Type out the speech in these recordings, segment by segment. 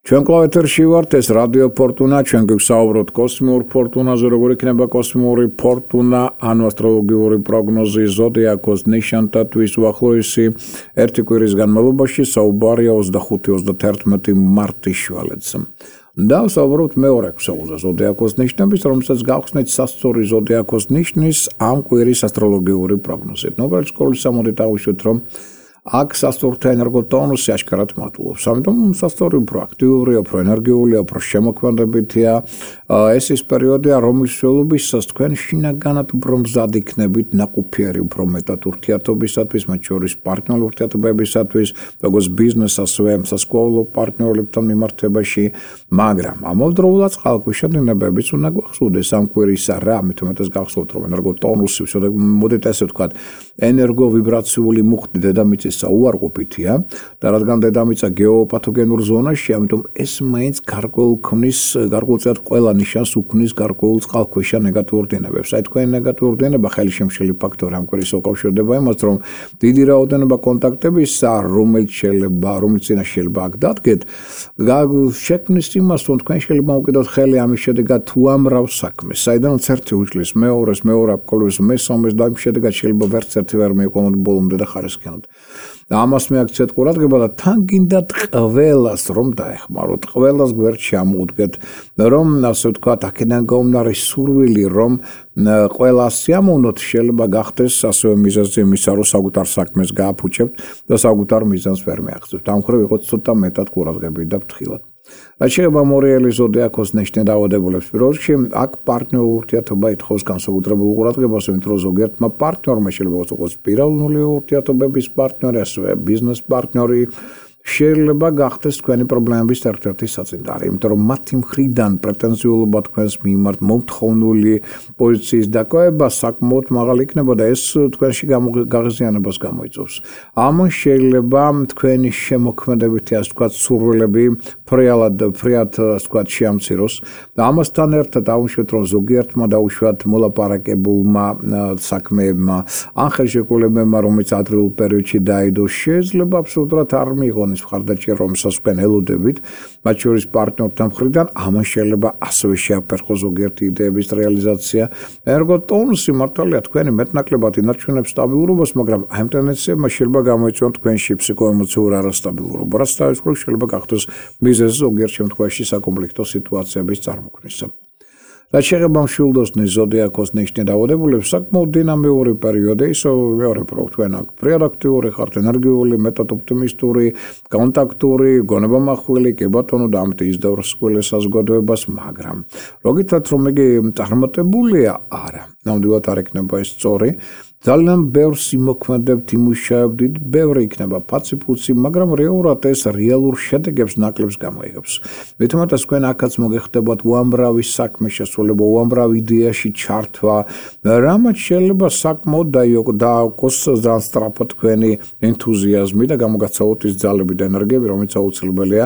ჩვენ კლავეთერში ვართ, ეს რადიო ფორტუნა, ჩვენ გვსაუბრობთ კოსმიურ ფორტუნაზე, როგორ იქნება კოსმიური ფორტუნა, ანუ ასტროლოგიური პროგნოზი ზოდიაქოს ნიშანთათვის უახლოესი ერთი კვირის განმავლობაში საუბარია 25-31 მარტის შვალეთს. და ვსაუბრობთ მეორე ქსოვილზე ზოდიაქოს ნიშნების, რომელსაც გავხსნით სასწორი ზოდიაქოს ნიშნის ამ კვირის ასტროლოგიური პროგნოზით. ნობრალ სკოლის სამოდით ავუშვით, რომ აქ სასწორთა ენერგოტონუსი აშკარად მატულობს. ამიტომ სასწორი უფრო აქტიურია, უფრო ენერგიულია, უფრო შემოქმედებითია. ეს ის პერიოდია, რომლის მსვლელობისას თქვენ შინაგანად უფრო მზად იქნებით, ნაყოფიერი უფრო მეტად ურთიერთობისათვის, მათ შორის პარტნიორულ ურთიერთობებისათვის, როგორც ბიზნეს, ასევე სასკოლო პარტნიორებთან მიმართებაში, მაგრამ ამავდროულად წყალქვეშა დინებებიც უნდა გვახსოვდეს ამ კვირისა რა, ამით უმეტეს გახსოვთ, რომ ენერგოტონუსი, მოდით ესე ვთქვათ, ენერგოვიბრაციული მუხტი დედამიწის უარყოფითია და რადგან დედამიწა გეოპათოგენურ ზონაში, ამიტომ ეს მაინც გარკვეულწილად ყველა ნიშანს უქმნის გარკვეულ წყალქვეშა ნეგატიურ დინებებს. აი თქვენი ნეგატიური დინება ხელშემშლელი ფაქტორი ამ კვირის უკავშირდება იმას, რომ დიდი რაოდენობა კონტაქტებისა, რომელიც წინაშე შეიძლება აქ დადგეთ, შექმნის იმას, რომ თქვენ შეიძლება მოკიდოთ ხელი ამის შედეგად უამრავ საქმეს. საიდანაც ერთი უჭლის მეორეს, მეორე აპკოლოს მესამეს და ამ შედეგად შეიძლება ვერც ერთი ვერ მეიკონოთ ბოლომდე და ხარისხიანად. და ამას მეაქცეთ ყურადღება და თან გინდათ ყველას რომ დაეხმაროთ, ყველას გვერდში ამოუდგეთ, რომ ასე ვთქვათ, აქედან გაუმდინარე სურვილი, რომ ყველას სიამოვნოთ, შეიძლება გახდეს ასევე მიზეზი იმისა, რომ საკუთარ საქმეს გააფუჭებთ და საკუთარ მიზანს ვერ მიაღწევთ. ამ მხრივ იყოთ ცოტა მეტად ყურადღებიანი და ფრთხილად. რაც შეეხება მორიელი ზოდიაქოს ნიშნის დაავადებულებს, პირველ რიგში აქ პარტნიორულ ურთიერთობა ითხოვს განსაკუთრებულ ყურადღებას, იმიტომ რომ ზოგიერთმა პარტნიორმა შეიძლება იყოს პიროვნული ურთიერთობების პარტნიორი, ასევე ბიზნეს პარტნიორი, შეიძლება გახდეს თქვენი პრობლემების ერთ-ერთი საწინდარი, იმიტომ რომ მათი მხრიდან პრეტენზიულობა თქვენს მიმართ მომთხოვნული პოზიციის დაკავება საკმაოდ მაღალი იქნება და ეს თქვენში გაღიზიანებას გამოიწვევს. ამან შეიძლება თქვენი შემოქმედებითი, ასე ვთქვათ, სურვილები ფრიად, ასე ვთქვათ, შეამციროს და ამასთან ერთად დავუშვათ, რომ ზოგიერთმა დაუშვათ მოლაპარაკებულმა საქმეებმა, ან ხელშეკრულებებმა, რომელიც ადრეულ პერიოდში დაიდო, შეიძლება აბსოლუტურად არ მიიღონ მხარდაჭერა, რომელსაც თქვენ ელოდებით, მათ შორის პარტნიორთან მხრიდან, ამან შეიძლება ასევე შეაფერხოს ზოგიერთი იდეების რეალიზაცია. ენერგოტონუსი მართალია თქვენი მეტნაკლებად ინარჩუნებს სტაბილურობას, მაგრამ ამ ტენდენციებმა შეიძლება გამოიწვიონ თქვენში ფსიქოემოციურ არასტაბილურობა, რაც თავის მხრივ შეიძლება გახდეს მიზეზი ზოგიერთ შემთხვევაში საკონფლიქტო სიტუაციების წარმოქმნისა. რაც შეეხება მშვილდოსნის ზოდიაქოს ნიშნის დაავადებულებს, საკმაოდ დინამიური პერიოდი, ისე მეორე პროექტ თქვენ აქ ფრიად აქტიური ხართ, ენერგიული, მეტად ოპტიმისტური, კონტაქტური, გონებამახვილი, კი ბატონო და ამით ისდევრს ყველა საზოგადოებას, მაგრამ როგითაც რომ იგი წარმატებულია, არა, ნამდვილად არ იქნება ეს სწორი. ძალიან ბევრს იმოქმედებთ, იმუშავებთ, ბევრი იქნება ფაცი-ფუცი, მაგრამ რეალურად ეს რეალურ შედეგებს ნაკლებს გამოიღებს. მით უმეტეს თქვენ აქაც მოგეხდებათ უამრავი საქმე შესრულება, უამრავი იდეაში ჩართვა, რამაც შეიძლება საკმაოდ დააყოს ძალიან სწრაფად თქვენი ენთუზიაზმი და გამოგაცალოთ ის ძალები და ენერგიები, რომელიც აუცილებელია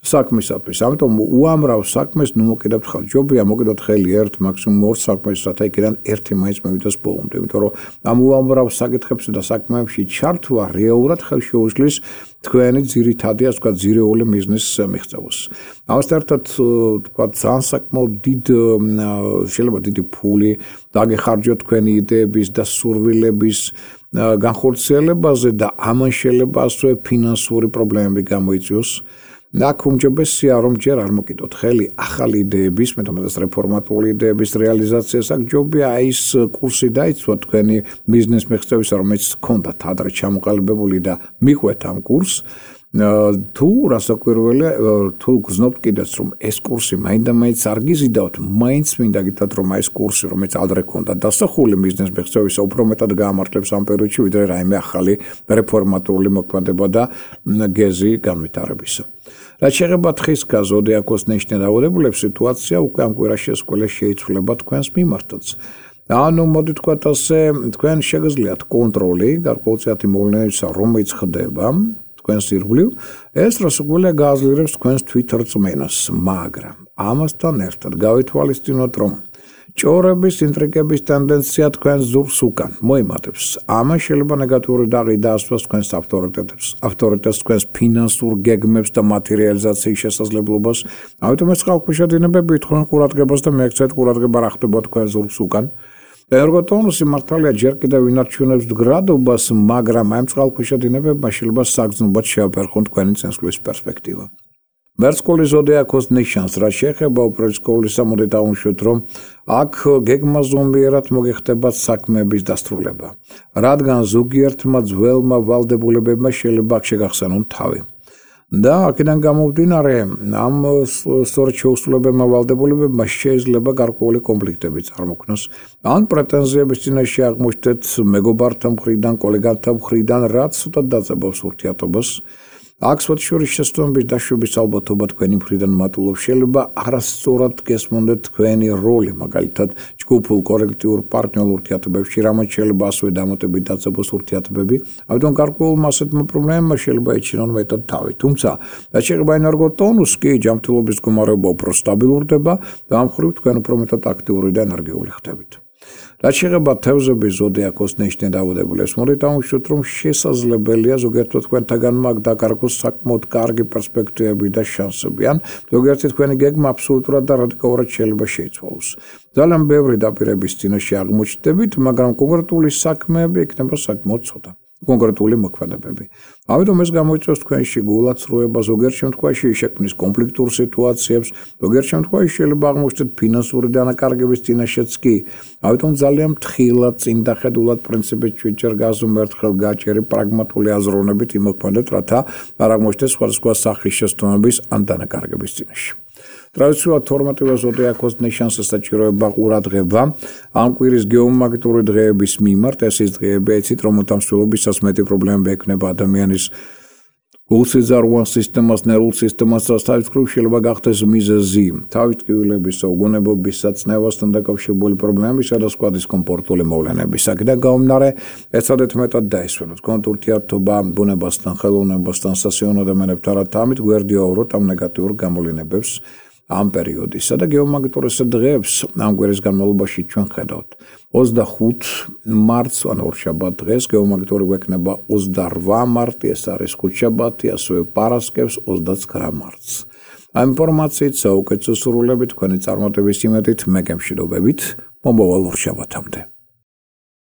საქმისათვის. ამიტომ უამრავ საქმეს ნუ მოკიდებთ ხელ. ჯობია მოკიდოთ ხელი ერთ, მაქსიმუმ ორ საქმეს, რათა იქიდან ერთი მაინც მივიდეს ბოლომდე, იმიტომ რომ ამ უამრავ საკითხებში და საქმეებში ჩართვა რეალურად ხელშეუხლის თქვენი ძირითადი, ასე ვთქვათ, ძირეული მიზნის მიღწევას. ამასთან ერთად, ვთქვათ, ძალიან საკმაოდ შეიძლება დიდი ფული დაგეხარჯოთ თქვენი იდეების და სურვილების განხორციელებაზე და ამან შეიძლება ასევე ფინანსური პრობლემები გამოიწვიოს. აქ უმჯობესია, რომ ჯერ არ მოკიდოთ ხელი ახალი იდეების, მეტომეტად რეფორმატორული იდეების რეალიზაციას, აქ ჯობია ის კურსი დაიცვათ თქვენი ბიზნეს მიღწევისა, რომელიც გქონდათ ადრე ჩამოყალიბებული და მიყვეთ ამ კურსს. თუ რასაკვირველია, თუ გრძნობთ კიდეც, რომ ეს კურსი მაინდა-მაინც არ გიზიდავთ, მაინც მინდა გითხრათ, რომ ეს კურსი, რომელიც ადრე გქონდა დასახული ბიზნეს მიღწევისა, უფრო მეტად გაამართლებს ამ პერიოდში, ვიდრე რაიმე ახალი რეფორმატორული მოქმედება და გეზი განვითარებისა. რაც შეეხება თხისქა ზოდიაქოს ნიშნის დაავადებულებს, სიტუაცია უკვე ამ კვირაში შეიცვლება თქვენს მიმართაც. ანუ მოდი თქვათ ასე, თქვენ შეგიძლიათ კონტროლი გარკვეულწილადი მოვლენებისა, რომელიც ხდება თქვენს ირგვლივ, ეს რასაკვირველია გააძლიერებს თქვენს თვითრწმენას, მაგრამ ამასთან ერთად გავითვალისწინოთ, რომ ჭორების, ინტრიგების ტენდენცია თქვენ ზურგს უკან მოიმატებს. ამან შეიძლება ნეგატიური დაღი დაასვას თქვენს ავტორიტეტს, თქვენს ფინანსურ გეგმებს და მათი რეალიზაციის შესაძლებლობას. ამიტომ ეს წყალქვეშადინებები თქვენ ყურადღებას და მიექცეთ ყურადღება რა ხდება თქვენ ზურგს უკან. ენერგოტონუსი მართალია ჯერ კიდევ ინარჩუნებს მდგრადობას, მაგრამ ამ წყალქვეშადინებებმა შეიძლება საგრძნობად შეაფერხონ თქვენი წინსვლის პერსპექტივა. მერწყული ზოდიაქოს ნიშანს, რაც შეეხება უპირისპირდელს, მოდით დავუშვათ, რომ აქ გეგმა ზომიერად მოგეხდებათ საქმეების დასრულება, რადგან ზოგიერთმა ძველმა ვალდებულებებმა შეიძლება შეგახსენონ თავი. და აქედან გამომდინარე, ამ სწორედ შეუსრულებელმა ვალდებულებებმა შეიძლება გარკვეული კონფლიქტები წარმოქმნას, ან პრეტენზიების წინაშე აღმოჩნდეთ მეგობართა მხრიდან, კოლეგათა მხრიდან, რაც ცუდად დაძაბავს ურთიერთობას. აქ შორის შესწავლების დაშვების ალბათობა თქვენი მხრიდან მატულობს. შეიძლება არასწორად გესმოდეთ თქვენი როლი, მაგალითად, ჯგუფურ კოლექტიურ პარტნიორულ ურთიერთობებში, რამაც შეიძლება ასევე დამატებით დაძაბოს ურთიერთობები. ამიტომ გარკვეულმა ასეთმა პრობლემებმა შეიძლება ეჩინონ მეტად თავი. თუმცა, რაც შეეხება ენერგოტონუსს, კი ჯანმრთელობის მდგომარეობა უფრო სტაბილურდება და ამ მხრივ თქვენ უფრო მეტად აქტიური და ენერგიული ხდებით. რაც შეეხება თევზების ზოდიაქოს ნიშნით დაავადებულებს, მოდით დავუშვათ, რომ შესაძლებელია ზოგიერთი თქვენთაგან მაგ დაკარგოს საკმაოდ კარგი პერსპექტივები და შანსები, ან ზოგიერთი თქვენი გეგმა აბსოლუტურად და რადიკალურად შეიძლება შეიცვალოს. ძალიან ბევრი დაპირების წინაშე აღმოჩნდებით, მაგრამ კონკრეტული საქმეები იქნება საკმაოდ ცოტა. კონკრეტული მოქმედებები. ამიტომ ეს გამოიწვევს თქვენში გულაცრუება, ზოგიერთ შემთხვევაში შექმნის კონფლიქტურ სიტუაციებს, ზოგიერთ შემთხვევაში შეიძლება აღმოჩნდეთ ფინანსური დანაკარგების წინაშეც კი. ამიტომ ძალიან ფრთხილად, წინდახედულად პრინციპით შეჭერ გაზომერთხელ გაჭერი პრაგმატული აზროვნებით იმოქმედეთ, რათა არ აღმოჩნდეთ სხვადასხვა სახის შეცდომების ან დანაკარგების წინაშე. ტრადიციულად 12-ვე ზოდიაქოს ნიშანს ესაჭიროება ყურადღება ამ კვირის გეომაგნიტური დღეების მიმართ. ეს ის დღეები ეცით, რომ უთამშრომლობისას მეტი პრობლემები ექნება ადამიანის გულსიზარღვან სისტემას, ნერვულ სისტემას, რაც თავის მხრივ შეიძლება გახდეს მიზეზი თავის ტკივილებისა, უგონებობისა, წნევასთან დაკავშირებული პრობლემებისა და სხვა დისკომფორტული მოვლენების. აქედან გამომდინარე, ეცადეთ მეტად დაისვენოთ თქვენთ ურთიერთობა ბუნებასთან, ხელოვნებასთან, სასიამოვნო ადამიანებთან, რათა ამით გვერდიაუროთ ამ ნეგატიურ გამოვლენებებს ამ პერიოდისა და გეომაგნიტურის დღეებს ამ კვირის განმავლობაში ჩვენ ხედავთ. 25 მარტს, ან ორშაბათ დღეს გეომაგნიტური გვექნება 28 მარტი, ეს არის ხუთშაბათი, ასევე პარასკევს 29 მარტს. ამ ინფორმაციით საუკეთესო სურვილებით, თქვენი წარმატების იმედით, მე გემშვიდობებით, მომავალ ორშაბათამდე.